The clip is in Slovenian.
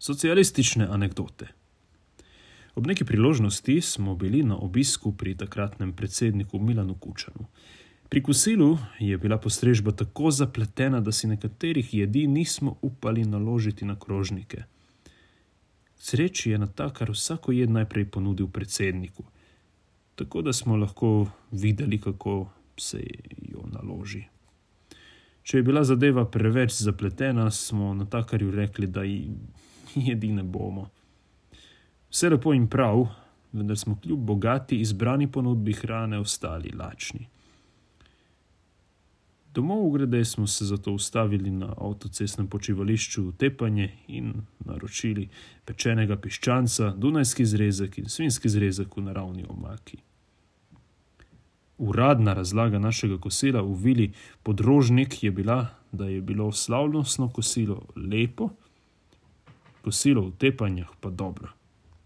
Socialistične anekdote. Ob neki priložnosti smo bili na obisku pri takratnem predsedniku Milanu Kučanu. Pri kosilu je bila postrežba tako zapletena, da si nekaterih jedi nismo upali naložiti na krožnike. K sreči je natakar vsako jed najprej ponudil predsedniku, tako da smo lahko videli, kako se jo naloži. Če je bila zadeva preveč zapletena, smo natakarju rekli, da jedi ne bomo. Vse lepo in prav, vendar smo kljub bogati izbrani ponudbi hrane ostali lačni. Domov grede smo se zato ustavili na avtocestnem počivališču v Tepanje in naročili pečenega piščanca, dunajski zrezek in svinjski zrezek v naravni omaki. Uradna razlaga našega kosila v vili Podrožnik je bila, da je bilo slavnostno kosilo lepo, kosilo v Tepanjah pa dobro.